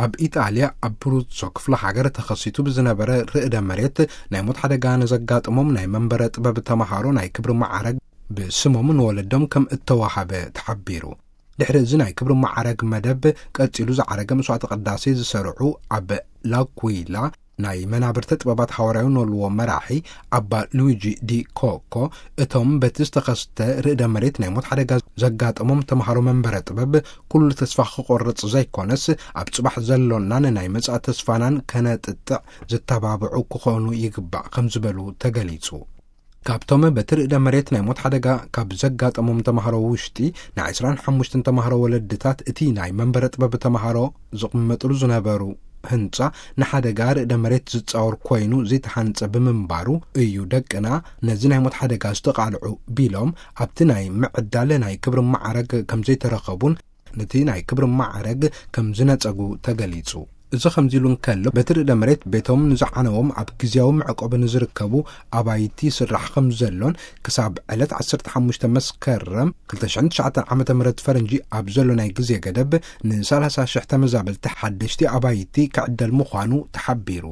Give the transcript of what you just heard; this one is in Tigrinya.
ኣብ ኢጣልያ ኣብ ብሩዞ ክፍለ ሃገር ተኸሲቱ ብዝነበረ ርእደ መሬት ናይ ሞት ሓደጋ ንዘጋጥሞም ናይ መንበረ ጥበብ ተምሃሮ ናይ ክብሪ ማዕረግ ብስሞም ንወለዶም ከም እተዋሃበ ተሓቢሩ። ድሕሪ እዚ ናይ ክብሪ ማዕረግ መደብ ቀጺሉ ዝዓረገ መስዋዕተ ቅዳሴ ዝሰርዑ ኣብ ላኩይላ ናይ መናብርተ ጥበባት ሃዋርያዊ ነልዎ መራሒ ኣባ ሉዊጂ ዲ ኮኮ፣ እቶም በቲ ዝተኸስተ ርእደ መሬት ናይ ሞት ሓደጋ ዘጋጠሞም ተምሃሮ መንበረ ጥበብ ኩሉ ተስፋ ክቆርጽ ዘይኮነስ ኣብ ጽባሕ ዘሎናን ናይ መጻኢ ተስፋናን ከነጥጥዕ ዘተባብዑ ክኾኑ ይግባእ ከም ዝበሉ ተገሊጹ። ካብቶም በቲ ርእደ መሬት ናይ ሞት ሓደጋ ካብ ዘጋጠሞም ተምሃሮ ውሽጢ ናይ ዕስራን ሓሙሽተን ተምሃሮ ወለድታት እቲ ናይ መንበረ ጥበብ ተምሃሮ ዝቕመጥሉ ዝነበሩ ህንጻ ንሓደጋ ርእደ መሬት ዝጻወር ኮይኑ ዘይተሃንጸ ብምንባሩ እዩ ደቅና ነዚ ናይ ሞት ሓደጋ ዝተቓልዑ ቢሎም ኣብቲ ናይ ምዕዳል ናይ ክብሪ ማዕረግ ከም ዘይተረኸቡን ነቲ ናይ ክብሪ ማዕረግ ከም ዝነጸጉ ተገሊጹ። እዚ ከምዚ ኢሉ እንከሎ በቲ ርእደ መሬት ቤቶም ንዝዓነዎም ኣብ ግዜያዊ መዕቆቢ ንዝርከቡ ኣባይቲ ይስራሕ ከም ዘሎን ክሳብ ዕለት ዓሰርተ ሓሙሽተ መስከረም ክልተ ሽሕን ትሽዓተን ዓመተ ምህረት ፈረንጂ ኣብ ዘሎ ናይ ግዜ ገደብ ንሰላሳ ሽሕ ተመዛበልቲ ሓደሽቲ ኣባይቲ ክዕደል ምዃኑ ተሓቢሩ።